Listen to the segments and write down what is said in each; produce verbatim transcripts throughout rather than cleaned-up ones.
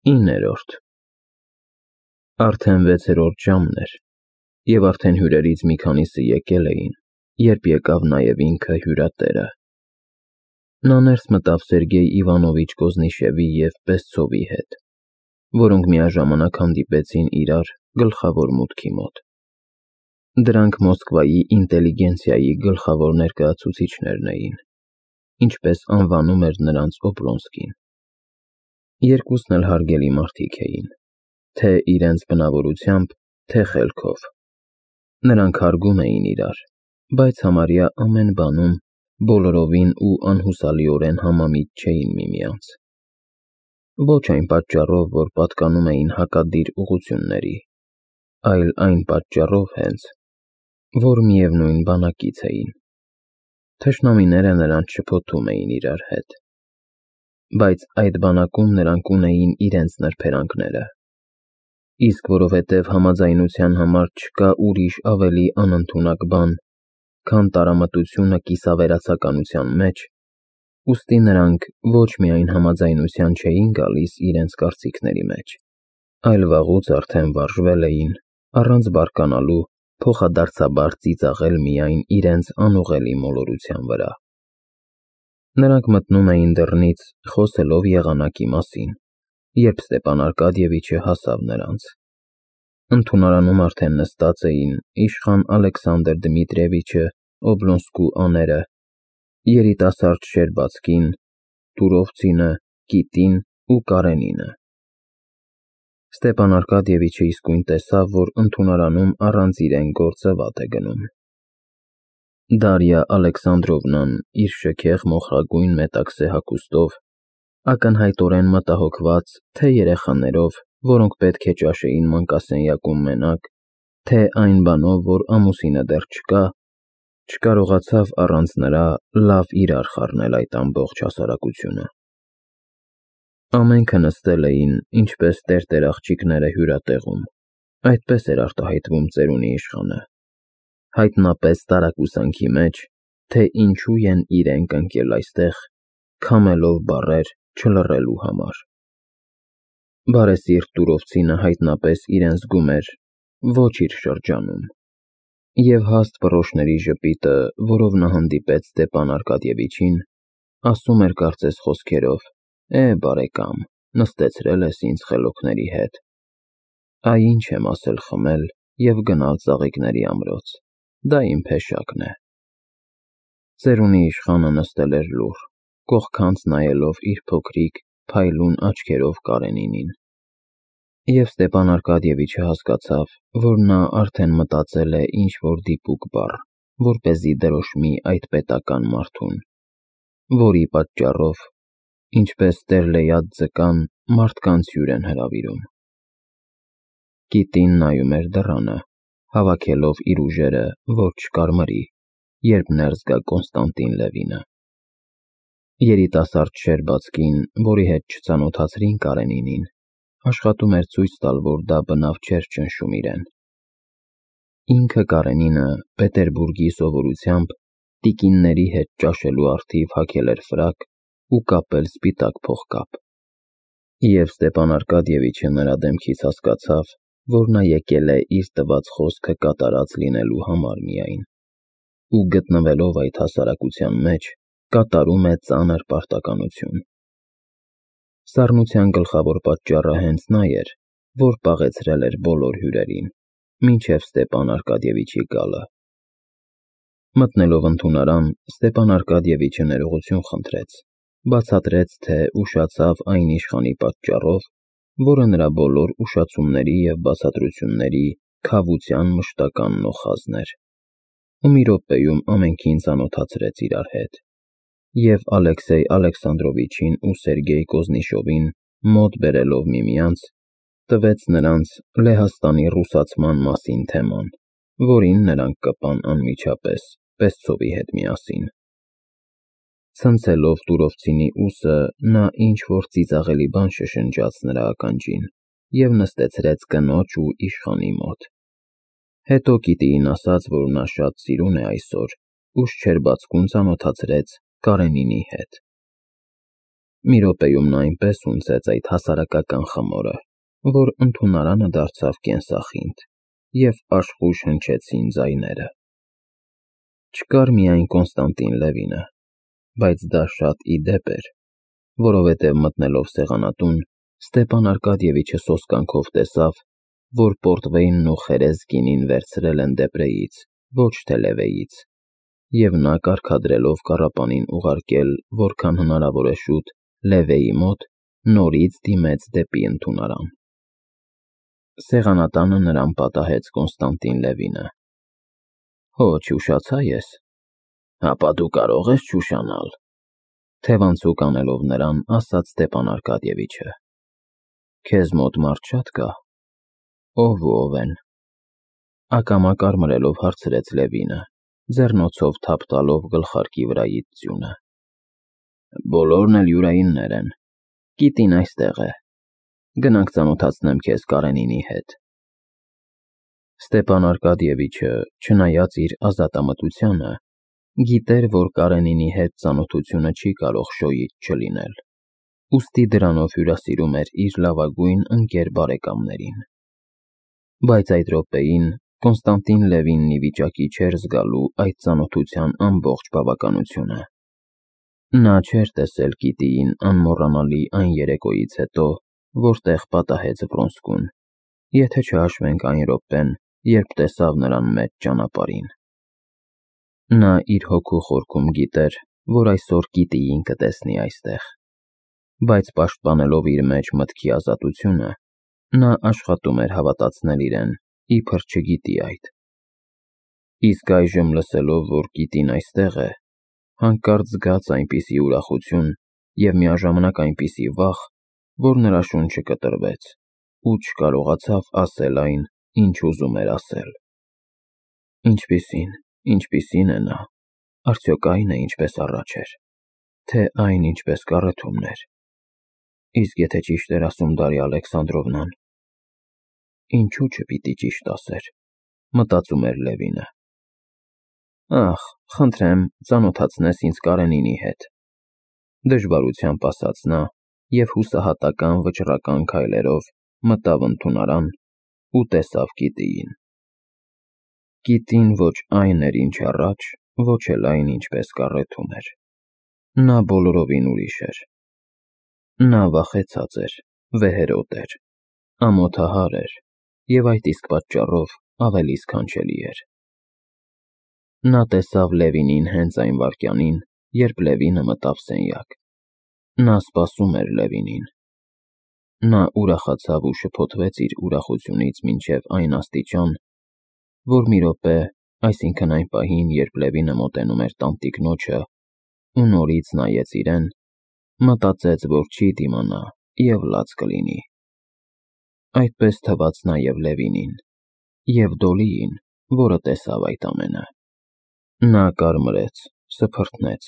Իններորդ Արդեն վեցերորդ ժամն էր, և արդեն հյուրերից մի քանիսը եկել էին, երբ եկավ նաև ինքը հյուրատերը։ Նա ներս մտավ Սերգեյ Իվանովիչ Կոզնիշևի և Պեսցովի հետ, որոնք միաժամանակ հանդիպեցին իրար գլխավոր մուտքի մոտ։ Դրանք Մոսկվայի ինտելիգենցիայի գլխավոր ներկայացուցիչներն էին, ինչպես անվանում էր նրանց Օբլոնսկին։ Երկուսն էլ հարգելի մարդիկ էին, թե իրենց բնավորությամբ, թե խելքով։ Նրանք հարգում էին իրար, բայց համարյա ամեն բանում բոլորովին ու անհուսալիորեն համամիտ չէին միմյանց։ Ոչ այն պատճառով, որ պատկանում էին հակադիր ուղղությունների, այլ այն պատճառով հենց, որ միևնույն բանակից էին։ Թշնամիները նրանց շփոթում էին իրար հետ։ Բայց այդ բանակում նրանք ունեին իրենց նրբերանգները։ Իսկ որովհետև համաձայնության համար չկա ուրիշ ավելի անընդունակ բան, քան տարամտությունը կիսավերացականության մեջ, ուստի նրանք ոչ միայն համաձայնության չէին գալիս իրենց կարծիքների մեջ, այլ վաղուց արդեն վարժվել էին, առանց բարկանալու, փոխադարձաբար ծիծաղել միայն իրենց անուղղելի մոլորության վրա։ Նրանք մտնում էին դռնից, խոսելով եղանակի մասին, երբ Ստեփան Արկադիևիչը հասավ նրանց։ Ընդունարանում արդեն նստած էին իշխան Ալեքսանդր Դմիտրիևիչը, Օբլոնսկու աները, երիտասարդ Շերբացկին, Տուրովցինը, Կիտին ու Կարենինը։ Ստեփան Արկադիևիչը իսկույն տեսավ, որ ընդունարանում առանց իրեն գործը վատ է գնում։ Դարիա Ալեքսանդրովնան իր շքեղ մոխրագույն մետաքսե հագուստով, ակնհայտորեն մտահոգված թե երեխաներով, որոնք պետք է ճաշեին մանկասենյակում մենակ, թե այն բանով, որ ամուսինը դեռ չկա, չկարողացավ առանց նրա լավ իրար խառնել այդ ամբողջ հասարակությունը։ Ամենքը նստել էին, ինչպես տերտեր աղջիկները հյուրատեղում, այդպես էր արտահայտվում ծերունի իշխանը, հայտնապես տարակուսանքի մեջ, թե ինչու են իրենք ընկել այստեղ, քամելով բառեր չլռելու համար։ Բարեսիրտ Տուրովցինը հայտնապես իրեն զգում էր ոչ իր շրջանում, և հաստ պռոշների ժպիտը, որով նա հանդիպեց Ստեփան Արկադիևիչին, ասում էր կարծես խոսքերով. «Է, բարեկամ, նստեցրել ես ինձ խելոքների հետ։ Այ ինչ եմ ասել խմել և գնալ ծաղիկների ամրոց, դա իմ փեշակն է»։ Ծերունի իշխանը նստել էր լուռ, կողքանց նայելով իր փոքրիկ, փայլուն աչքերով Կարենինին։ Եվ Ստեփան Արկադիևիչը հասկացավ, որ նա արդեն մտածել է ինչ-որ դիպուկ բառ, որպեսզի դրոշմի այդ պետական մարդուն, որի պատճառով, ինչպես տեր-Լեյադ ձկան, մարդկանց հյուր են հրավիրում։ Կիտին նայում էր դռանը, հավաքելով իր ուժերը, որ չկարմրի, երբ ներս գա Կոնստանտին Լևինը։ Երիտասարդ Շերբացկին, որի հետ չծանոթացրին Կարենինին, աշխատում էր ցույց տալ, որ դա բնավ չէր ճնշում իրեն։ Ինքը Կարենինը Պետերբուրգի սովորությամբ տիկինների հետ ճաշելու առթիվ հագել էր ֆրակ ու կապել սպիտակ փողկապ։ Եվ Ստեփան Արկադիևիչը նրա դեմքից հասկացավ, որ նա եկել է իր տված խոսքը կատարած լինելու համար միայն, ու գտնվելով այդ հասարակության մեջ, կատարում է ծանր պարտականություն։ Սառնության գլխավոր պատճառը հենց նա էր, որ պաղեցրել էր բոլոր հյուրերին, մինչև Ստեփան Արկադիևիչի գալը։ Մտնելով ընդունարան, Ստեփան Արկադիևիչը ներողություն խնդրեց, բացատրեց, թե ուշացավ այն իշխանի պատճառով, որը նրա բոլոր ուշացումների և բացատրությունների քավության մշտական նոխազն էր, ու մի րոպեում ամենքին ծանոթացրեց իրար հետ, և Ալեքսեյ Ալեքսանդրովիչին ու Սերգեյ Կոզնիշովին մոտ բերելով միմյանց, տվեց նրանց Լեհաստանի ռուսացման մասին թեման, որին նրանք կպան անմիջապես Պեսցովի հետ միասին։ Ցնցելով Տուրովցինի ուսը, նա ինչ-որ ծիծաղելի բան շշնջաց նրա ականջին և նստեցրեց կնոջ ու իշխանի մոտ։ Հետո Կիտիին ասաց, որ նա շատ սիրուն է այսօր, ու Շչերբացկուն ծանոթացրեց Կարենինի հետ։ Մի րոպեում նա այնպես ունցեց այդ հասարակական խմորը, որ ընդունարանը դարձավ կենսախինդ, և աշխույժ հնչեցին ձայները։ Չկար միայն Կոնստանտին Լևինը, բայց դա շատ ի դեպ էր, որովհետև մտնելով սեղանատուն, Ստեփան Արկադիևիչը սոսկանքով տեսավ, որ պորտվեյնն ու խերես գինին վերցրել են Դեպրեից, ոչ թե Լևեից, և նա կարգադրելով կառապանին ուղարկել որքան հնարավոր է շուտ Լևեի մոտ, նորից դիմեց դեպի ընդունարան։ Սեղանատանը նրան պատահեց Կոնստանտին Լևինը։ Հո, չուշացա ես։ Հապա դու կարող ես չուշանալ, թևանցուկ անելով նրան, ասաց Ստեփան Արկադիևիչը։ Քեզ մոտ մարդ շատ կա։ Ով ու ով են։ Ակամա կարմրելով հարցրեց Լևինը, ձեռնոցով թափ տալով գլխարկի վրայից ձյունը։ Բոլորն էլ յուրայիններ են։ Կիտին այստեղ է։ Գնանք ծանոթացնեմ քեզ Կարենինի հետ։ Ստեփան Արկադիևիչը, չնայած իր ազատամտությանը, գիտեր, որ Կարենինի հետ ծանոթությունը չի կարող շոյից չլինել, ուստի դրանով հյուրասիրում էր իր լավագույն ընկեր բարեկամներին։ Բայց այդ րոպեին Կոնստանտին Լևինն ի վիճակի չէր զգալու այդ ծանոթության ամբողջ բավականությունը։ Նա չէր տեսել Կիտիին անմոռանալի այն երեկոյից հետո, որտեղ պատահեց Վրոնսկուն, եթե չհաշվենք այն րոպեն, երբ տեսավ նրան մեծ ճանապարհին։ Նա իր հոգու խորքում գիտեր, որ այսօր Կիտիին կտեսնի այստեղ, բայց պաշտպանելով իր մեջ մտքի ազատությունը, նա աշխատում էր հավատացնել իրեն, իբր չգիտի այդ։ Իսկ այժմ լսելով, որ Կիտին այստեղ է, հանկարծ զգաց այնպիսի ուրախություն և միաժամանակ այնպիսի վախ, որ նրա շունչը կտրվեց ու չկարողացավ ասել այն, ինչ ուզում էր ասել։ Ինչպիսին, ինչպիսին է նա, արդյոք այն է, ինչպես առաջ էր, թե այն, ինչպես կառեթումն էր։ Իսկ եթե ճիշտ էր ասում Դարիա Ալեքսանդրովնան, ինչու չպիտի ճիշտ ասեր, մտածում էր Լևինը։ Ախ, խնդրեմ, ծանոթացնես ինձ Կարենինի հետ, դժվարությամբ ասաց նա և հուսահատական վճռական քայլերով մտավ ընդունարան ու տեսավ Կիտիին։ Կիտին ոչ այն էր, ինչ առաջ, ոչ էլ այն, ինչպես կառեթում էր։ Նա բոլորովին ուրիշ էր։ Նա վախեցած էր, վեհերոտ էր, ամոթահար էր և այդ իսկ պատճառով ավելի սքանչելի էր։ Նա տեսավ Լևինին հենց այն վայրկյանին, երբ Լևինը մտավ սենյակ։ Նա սպասում էր Լևինին։ Նա ուրախացավ ու շփոթվեց իր ուրախությունից մինչև այն աստիճան, որ մի րոպե, այսինքն այն պահին, երբ Լևինը մոտենում էր տանտիկնոջը ու նորից նայեց իրեն, մտածեց, որ չի դիմանա և լաց կլինի։ Այդպես թվաց նաև Լևինին և Դոլիին, որը տեսավ այդ ամենը։ Նա կարմրեց, սփռտնեց,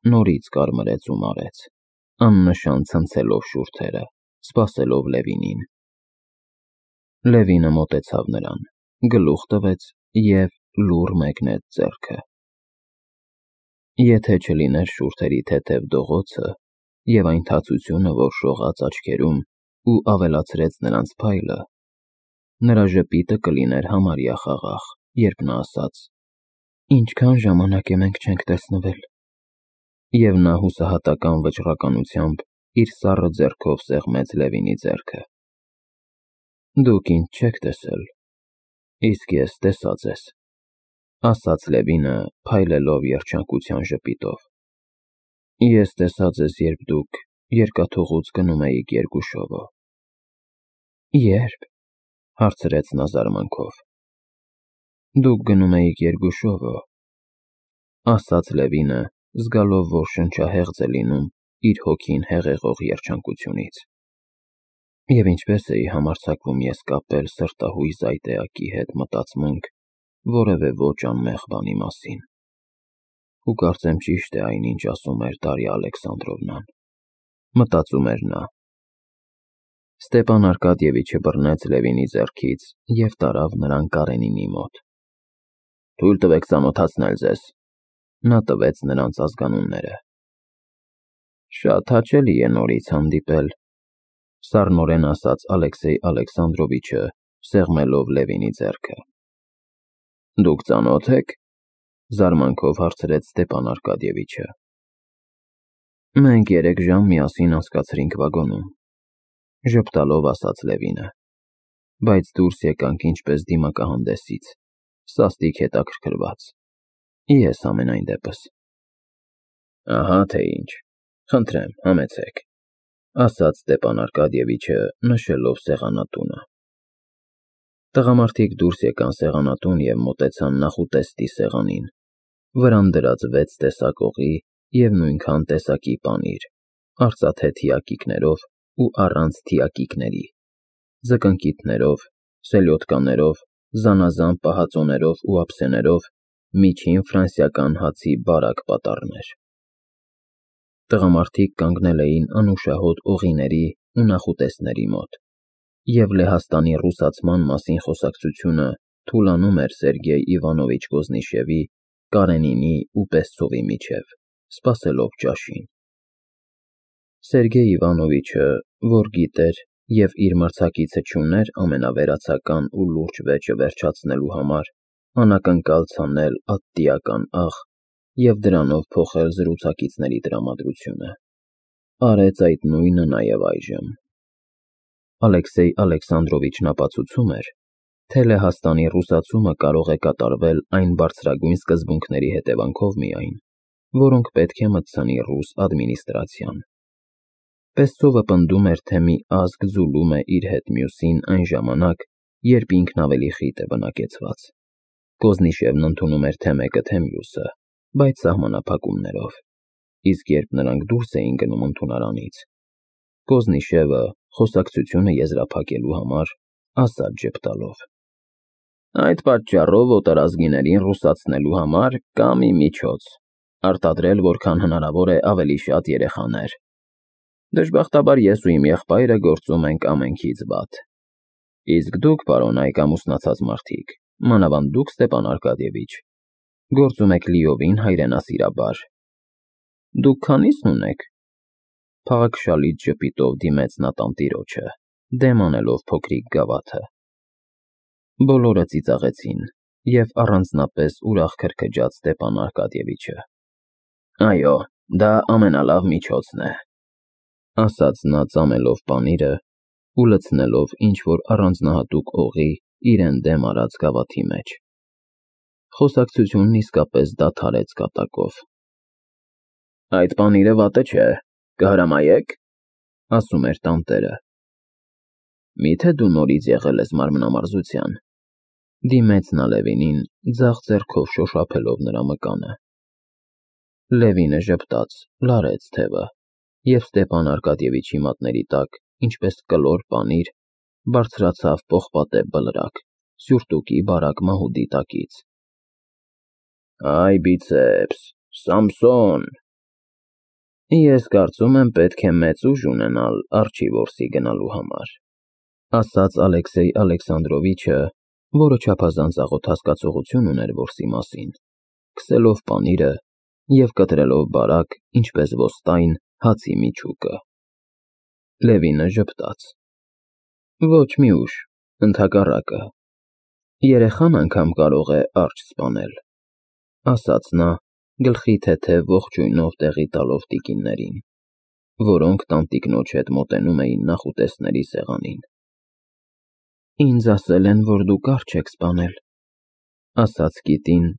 նորից կարմրեց ու մարեց, աննշան ցնցելով շուրթերը, սպասելով Լևինին։ Լևինը մոտեցավ նրան, գլուխ տվեց և լուռ մեկնեց ձեռքը։ Եթե չլիներ շուրթերի թեթև դողոցը և այն թացությունը, որ շողաց աչքերում ու ավելացրեց նրանց փայլը, նրա ժպիտը կլիներ համարյա խաղաղ, երբ նա ասաց. «Ինչքան ժամանակ է մենք չենք տեսնվել»։ Եվ նա հուսահատական վճռականությամբ իր սառը ձեռքով սեղմեց Լևինի ձեռքը։ Դուք ինձ չեք տեսել, իսկ ես տեսա ձեզ, ասաց Լևինը, փայլելով երջանկության ժպիտով։ Ես տեսա ձեզ, երբ դուք երկաթուղուց գնում էիք Երգուշովո։ Ե՞րբ, հարցրեց նա զարմանքով։ Դուք գնում էիք Երգուշովո, ասաց Լևինը, զգալով, որ շնչահեղձ է լինում իր հոգին հեղեղող երջանկությունից։ Եվ ինչպես էի համարձակվում ես կապել սրտահույս այդ էակի հետ մտածմունք որևէ ոչ անմեղ բանի մասին։ Ու կարծեմ ճիշտ է այն, ինչ ասում էր Դարիա Ալեքսանդրովնան, մտածում էր նա։ Ստեփան Արկադիևիչը բռնեց Լևինի ձեռքից և տարավ նրան Կարենինի մոտ։ Թույլ տվեք ծանոթացնել ձեզ։ Նա տվեց նրանց ազգանունները։ Շատ հաճելի է նորից հանդիպել, սառնորեն ասաց Ալեքսեյ Ալեքսանդրովիչը, սեղմելով Լևինի ձեռքը։ Դուք ծանոթ եք, զարմանքով հարցրեց Ստեփան Արկադիևիչը։ Մենք երեք ժամ միասին անցկացրինք վագոնում, ժպտալով ասաց Լևինը, բայց դուրս եկանք ինչպես դիմակահանդեսից, սաստիկ հետաքրքրված։ Ես ամենայն դեպս։ Ահա թե ինչ, խնդրեմ, համեցեք, ասաց Ստեփան Արկադիևիչը, նշելով սեղանատունը։ Տղամարդիկ դուրս եկան սեղանատուն և մոտեցան նախուտեստի սեղանին, վրան դրած վեց տեսակողի և նույնքան տեսակի պանիր, արծաթե թիակիկներով ու առանց թիակիկների, ձկնկիթներով, սելյոտկաներով, զանազան պահածոներով ու ափսեներով, միջին ֆրանսիական հացի բարակ պատառներ։ Տղամարդիկ կանգնել էին անուշահոտ օղիների ու նախուտեստների մոտ, և Լեհաստանի ռուսացման մասին խոսակցությունը թուլանում էր Սերգեյ Իվանովիչ Կոզնիշևի, Կարենինի ու Պեսցովի միջև, սպասելով ճաշին։ Սերգեյ Իվանովիչը, որ գիտեր և իր մրցակիցը չուներ ամենավերացական ու լուրջ վեճը վերջացնելու համար, անակնկալ ցանել ատտիական աղ և դրանով փոխել զրուցակիցների տրամադրությունը, արեց այդ նույնը նաև այժմ։ Ալեքսեյ Ալեքսանդրովիչն ապացուցում էր, թե Լեհաստանի ռուսացումը կարող է կատարվել այն բարձրագույն սկզբունքների հետևանքով միայն, որոնք պետք է մտցնի ռուս ադմինիստրացիան։ Պեսցովը պնդում էր, թե մի ազգ ձուլում է իր հետ մյուսին այն ժամանակ, երբ ինքն ավելի խիտ է բնակեցված։ Կոզնիշևն ընդունում էր թե մեկը, թե մյուսը, բայց սահմանափակումներով, իսկ երբ նրանք դուրս էին գնում ընդունարանից, Կոզնիշևը, խոսակցությունը եզրափակելու համար, ասաց ժպտալով. Այդ պատճառով օտարազգիներին ռուսացնելու համար կա մի միջոց, արտադրել որքան հնարավոր է ավելի շատ երեխաներ։ Դժբախտաբար ես ու իմ եղբայրը գործում ենք ամենքից վատ։ Իսկ դուք, պարոն այք ամուսնացած մարդիկ, մանավանդ դուք, Ստեփան Արկադիևիչ, գործում եք լիովին հայրենասիրաբար։ Դուք քանի՞սն ունեք։ Փաղաքշալից ժպիտով դիմեց նա տանտիրոջը, դեմ անելով փոքրիկ գավաթը։ Բոլորը ծիծաղեցին, և առանձնապես ուրախ քրքջաց Ստեփան Արկադիևիչը։ Այո, դա ամենալավ միջոցն է, ասաց նա ծամելով պանիրը ու լցնելով ինչ-որ առանձնահատուկ օղի իրեն դեմ արած գավաթի մեջ։ Խոսակցությունն իսկապես դադարեց կատակով։ Այդ պանիրը վատը չէ, կհրամայե՞ք, ասում էր տանտերը։ Միթե դու նորից եղել ես մարմնամարզության, դիմեց նա Լևինին, ձախ ձեռքով շոշափելով նրա մկանը։ Լևինը ժպտաց, լարեց թևը, և Ստեփան Արկադիևիչի մատների տակ, ինչպես կլոր պանիր, բարձրացավ պողպատե բլրակ, սյուրտուկի բարակ մահուդի տակից։ Այ բիցեպս, Սամսոն։ Ես կարծում եմ պետք է մեծ ուժ ունենալ արջի որսի գնալու համար, ասաց Ալեքսեյ Ալեքսանդրովիչը, որը չափազանց աղոտ հասկացողություն ուներ որսի մասին, քսելով պանիրը և կտրելով բարակ, ինչպես ոստայն, հացի միջուկը։ Լևինը ժպտաց. Ոչ մի ուժ, ընդհակառակը, երեխան անգամ կարող է արջ սպանել, ասաց նա, գլխի թեթև ողջույնով տեղի տալով տիկիններին, որոնք տանտիկնոջ հետ մոտենում էին նախուտեստների սեղանին։ Ինձ ասել են, որ դուք արջ եք սպանել, ասաց կիտին,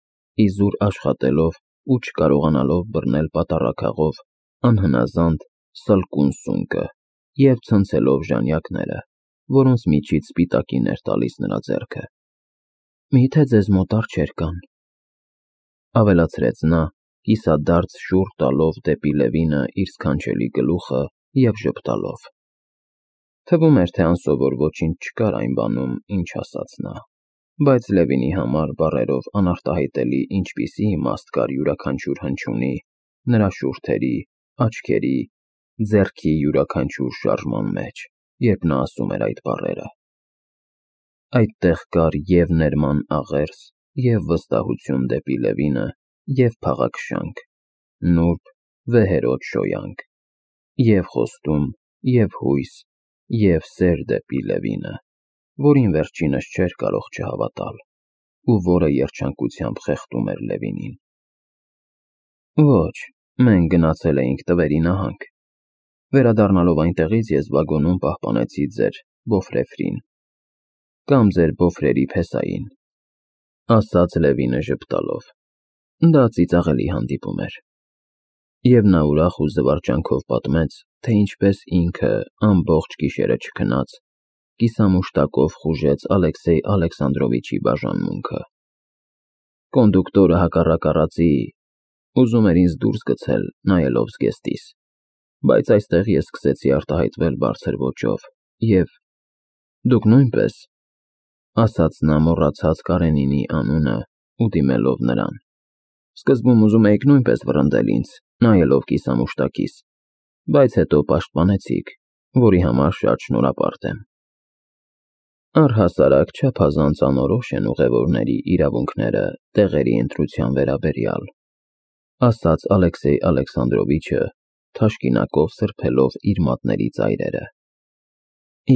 իզուր աշխատելով ու չկարողանալով բռնել պատառաքաղով անհնազանդ սլկուն սունկը և ցնցելով ժանյակները, որոնց միջից սպիտակին էր տալիս նրա ձեռքը։ Միթե ձեզ մոտ արջեր կան, ավելացրեց նա, կիսադարձ շուռ տալով դեպի Լևինը իր սքանչելի գլուխը և ժպտալով։ Թվում էր, թե անսովոր ոչինչ չկար այն բանում, ինչ ասաց նա, բայց Լևինի համար բառերով անարտահայտելի ինչպիսի իմաստ կար յուրաքանչյուր հնչյունի, նրա շուրթերի, աչքերի, ձեռքի յուրաքանչյուր շարժման մեջ, երբ նա ասում էր այդ բառերը։ Այդտեղ կար և ներման աղերս, և վստահություն դեպի Լևինը, և փաղաքշանք, նուրբ, վեհերաս շոյանք, Եվ խոստում, և հույս, և սեր դեպի Լևինը, որին վերջինս չէր կարող չհավատալ, ու որը երջանկությամբ խեղդում էր Լևինին։ Ոչ, մենք գնացել էինք տվերի նահանգ։ Վերադառնալով այնտեղից ես վագոնում պահպանեցի ձեր բոֆրեֆրին, կամ ձեր բոֆրերի փեսային, ասաց Լևինը ժպտալով։ Դա ծիծաղելի հանդիպում էր։ Եվ նա ուրախ ու զվարճանքով պատմեց, թե ինչպես ինքը ամբողջ գիշերը չքնած, կիսամուշտակով խուժեց Ալեքսեյ Ալեքսանդրովիչի բաժանմունքը։ Կոնդուկտորը հակառակ առածի ուզում էր ինձ դուրս գցել, նայելով զգեստիս, բայց այստեղ ես սկսեցի արտահայտվել բարձր ոճով, և դուք նույնպես, ասաց նա մոռացած Կարենինի անունը ու դիմելով նրան, սկզբում ուզում էիք նույնպես վռնդել ինձ, նայելով կիսամուշտակիս, բայց հետո պաշտպանեցիք, որի համար շատ շնորհապարտ եմ։ Առհասարակ չափազանց անորոշ են ուղևորների իրավունքները տեղերի ընտրության վերաբերյալ, ասաց Ալեքսեյ Ալեքսանդրովիչը, թաշկինակով սրբելով իր մատների ծայրերը։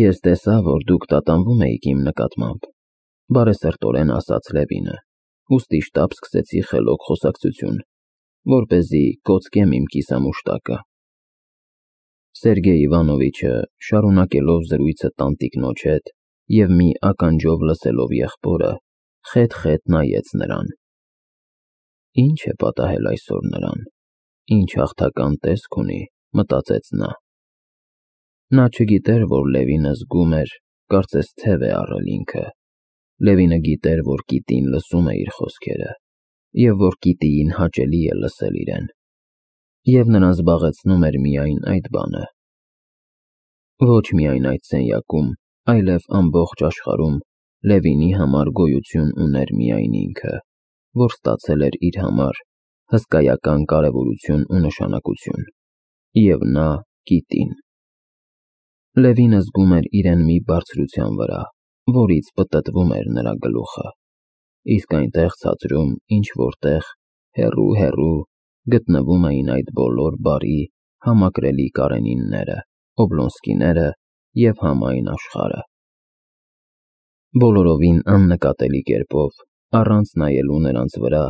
Ես տեսա, որ դուք տատանվում էիք իմ նկատմամբ, բարեսրտորեն ասաց Լևինը, ուստի շտապ սկսեցի խելոք խոսակցություն, որպեսզի կոծկեմ իմ կիսամուշտակը։ Սերգեյ Իվանովիչը, շարունակելով զրույցը տանտիկնոջ հետ և մի ականջով լսելով եղբորը, խետ-խետ նայեց նրան։ Ինչ է պատահել այսօր նրան, ինչ հաղթական տեսք ունի, մտածեց նա։ Նա չգիտեր, որ Լևինը զգում էր, կարծես թև է առել ինքը։ Լևինը գիտեր, որ Կիտին լսում է իր խոսքերը, և որ Կիտիին հաճելի է լսել իրեն, և նրան զբաղեցնում էր միայն այդ բանը։ Ոչ միայն այդ սենյակում, այլև ամբողջ աշխարհում Լևինի համար գոյություն ուներ միայն ինքը, որ ստացել էր իր համար հսկայական կարևորություն ու նշանակություն, և նա Կիտին։ Լևինը զգում էր իրեն մի բարձրության վրա, որից պտտվում էր նրա գլուխը, իսկ այնտեղ ցածրում, ինչ-որտեղ, հեռու-հեռու, գտնվում էին այդ բոլոր բարի, համակրելի Կարենինները, Օբլոնսկիները և համայն աշխարհը։ Բոլորովին աննկատելի կերպով, առանց նայելու նրանց վրա,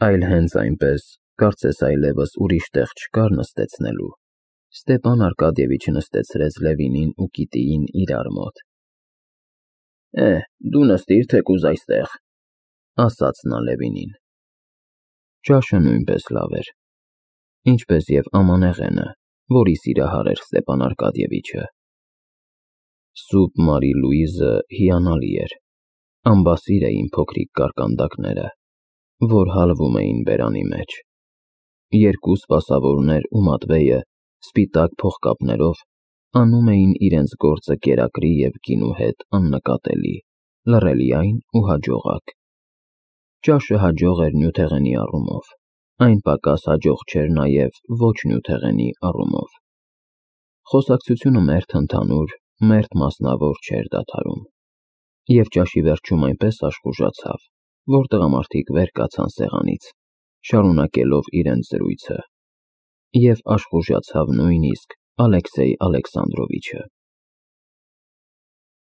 այլ հենց այնպես, կարծես այլևս ուրիշ տեղ չկար նստեցնելու, Ստեպան Արկադիևիչը նստեցրեց Լևինին ու Կիտիին իրար մոտ։ Է, դու նստիր թեկուզ այստեղ, ասաց նա Լևինին։ Ճաշը նույնպես լավ էր, ինչպես և ամանեղենը, որի սիրահար էր Ստեպան Արկադիևիչը։ Սուպ Մարի Լուիզը հիանալի էր, ամբասիր էին փոքրիկ կարկանդակները, որ հալվում էին բերանի մեջ։ Երկու սպասավորներ ու Մատվեյը սպիտակ փողկապներով անում էին իրենց գործը կերակրի և գինու հետ աննկատելի, լռելիայն ու հաջողակ։ Ճաշը հաջող էր նյութեղենի առումով, այն պակաս հաջող չէր նաև ոչ նյութեղենի առումով։ Խոսակցությունը մերթ ընդհանուր, մերթ մասնավոր չէր դադարում, և ճաշի վերջում այնպես աշխուժացավ, որ տղամարդիկ վեր կացան սեղանից, շարունակելով իրենց զրույցը, և աշխուժացավ նույնիսկ Ալեքսեյ Ալեքսանդրովիչը։